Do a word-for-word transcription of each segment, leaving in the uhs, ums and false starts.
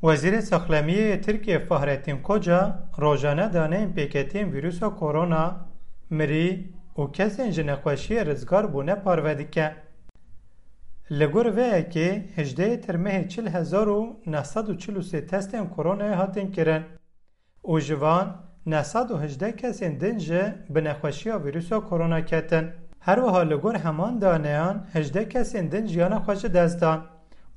Wezîrê Saxlemiyê yê Tirkiyê Fahrettin Koca rojane daneyên pêketiyên vîrusa korona, mirî û kesên ji nexweşiyê rizgar bûne parve dike. Li gor vê yekê hejdehê Tirmehê çil hezar û neh sed û çil û sê testên koronayê hatin kirin û ji van neh sed û hejdeh kesên din jî bi nexweşiya vîrusa korona ketin. Her wiha li gor heman daneyan hejdeh kesên din jiyana xwe ji dest dan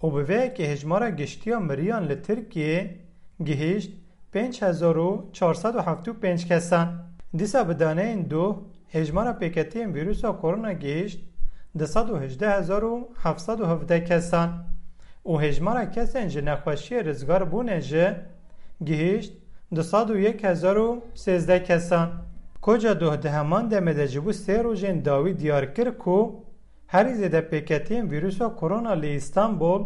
û bi vê yekê hejmara giştî ya miriyan li Tirkiyê gihîşt pênc hezar û çar sed û hevdî û pênc kesan. Dîsa bi daneyên doh hejmara pêketiyên vîrusa korona gihîşt du sed û hejdeh hezar û heft sed û hevdeh kesan û hejmara kesên ji nexweşiyê rizgar bûne jî gihîşt du sed û yek hezar û sêzdeh kesan. Koca doh di heman demê de ji bo sê rojên dawî diyar kir ku herî zêde pêketiyên vîrusa korona li Îstanbul,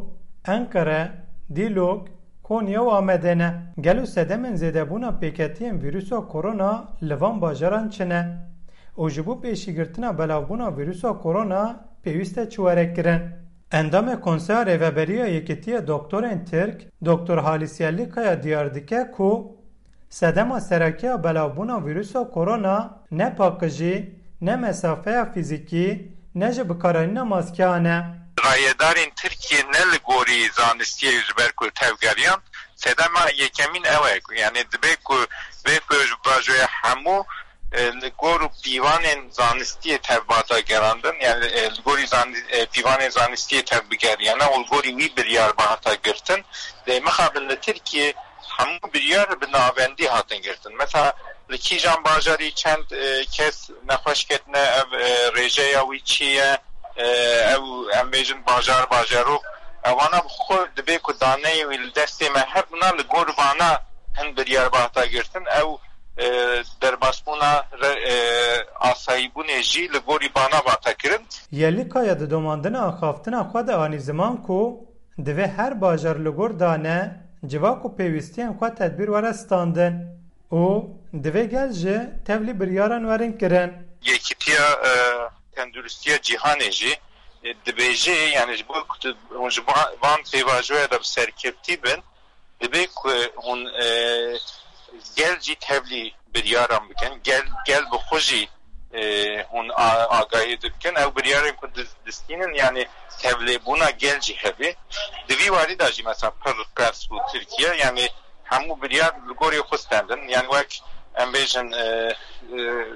Enqere, Dîlok, Konya û Amedê ne. Gelo sedemên zêdebûna pêketiyên vîrusa korona li van bajaran çi ne? Û ji bo pêşîgirtina belavbûna vîrusa korona pêwîst e çi were kirin? Endamê Konseya Rêveberiya Yekîtiya Doktorên Tirk, Doktor Halis Yerlikaya diyar dike ku sedema sereke ya belavbûna vîrusa korona ne paqijî, ne mesafeya fîzîkî, ne jî bikaranîna maskeyan e. Rayedarên Tirkiyê ne li gorî zanistiyê ji ber ku tevgeriyan, sedema yekemîn ew e ku, yani dibe ku vê ku ji bajoya hemû, e, li gor û pîvanên zanistiyê tev bata gerandin, yani, e, li gorî zani-, e, pîvanên zanistiyê tev bigeriyane û li gorî wî biryar bihata girtin. Lê mixabin li Tirkiyê hemû biryar bi navendî hatin girtin. Mesela li kîjan bajarî çend, e, kes nexweş ketine, ev, e, rêjeya wî çi ye, e, ew em bêjin bajar, bajarok, evana bi xwe dibê ku daneyê wî li destê me hebûna, li gor vana hin biryar bata girtin. Ew, e, derbasbûna re-, e, asayîbûnê jî li gorî vana vata kirin. Yerlikaya di domandina axaftina xwe de anî ziman ku divê her bajar li gor dane, civak û pêwîstiyên xwe tedbîr were standin û divê gel jî tevlî biryaran werin kirin. Yekîtiya, e, Tenduristiya Cîhanê jî, e, dibêje, yani ji bo ku tu, hûn ji ba-, van pêvajoya de bi serkevtî bin, dibê ku hûn, e, gel jî tevlî biryaran bikin, gel, gel bi xwe jî, e, hûn a-, agahî dikin. Ew biryarên ku diz-, distînin, yani tevlêbûna gel jî hebe. Di vî warî de jî mesela pir qers bû Tirkiye, yani hemû biryar li gorî xwe stendin. Yani wek em bêjin, e, e,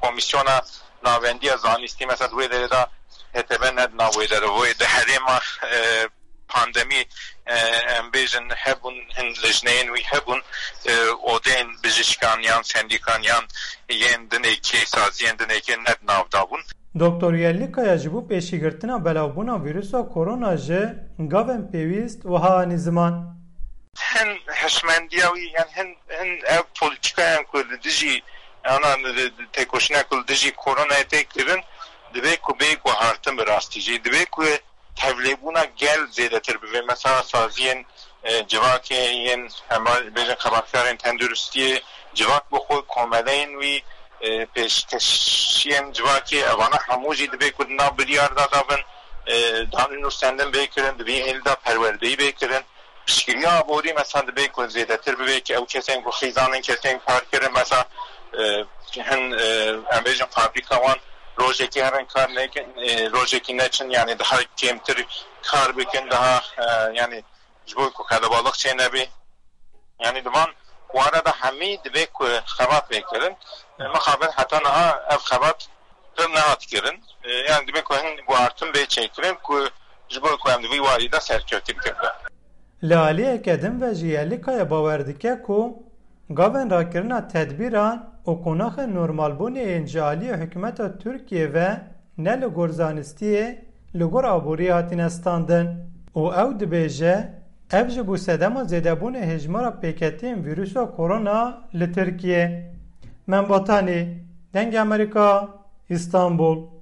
Komîsyona Navendiya Zanistî, mesela di wê derê de H T B ne di nav wê derê, wê di herêma, e, pandemî, e, em bêjin hebûn, hin lijneyên wî hebûn, e, odeyên bijîşkan yan sendîkan yan yên dinêkê, saziyên dinêkê ne di nav de bûn. Doktor Yerlikaya ji bo pêşîgirtina belavbûna vîrusa korona jî gavên pêwîst wiha anî ziman. Hin hişmendiya wî, yan hin, hin ev polîtîkayan ku li dijî, ana, têkoşîna ku li dijî koronayê tê kirin, divê ku bê guhartin bi rastî jî. Divê ku tevlêbûna gel zêdetir bibe. Mesela saziyên, e, civakê yên, em bêjin xebatkarên tenduristiyê, civak bi xwe, komeleyên wî, e, pêşkeşiyên civakê, evana hemû jî divê ku di nav biryar de davin, e, danû nûsendin bê kirin, di vî hêlî de perwerdeyî bê kirin. Piştgiriya aborî mesela divê ku zêdetir bibe, ki ew kesên ku xîzan in, kesên kar kirin, mesela, e, hin, e, em bêjin fabrîka wan rojekî herin kar nekin, e, rojekî neçin, yani daha kêmtir kar bikin, daha, e, yani ji bo ku qelebalix çênebê. Yani di van wara de hemî divê ku xebat bê kirin. E, mixabin heta niha ev xebat pir nehat kirin. E, yani divê ku hin guhartin bê çêkirin ku ji bo ku em di vî warî de serkevtî bikin. Li aliyeke din ve jî Yerlikaya bawer dike ku gavên rakirina tedbîran û qonaxên normalbûnê yên ji aliyê hikûmeta Tirkiyê ve ne li gor zanistiyê, li gor aboriyê hatine standin û ew dibêje, ev ji bo sedema zêdebûnê hejmara pêketiyên vîrusa korona li Tirkiyê. Mem Vatanî, Dengê Amerîka, Îstanbul.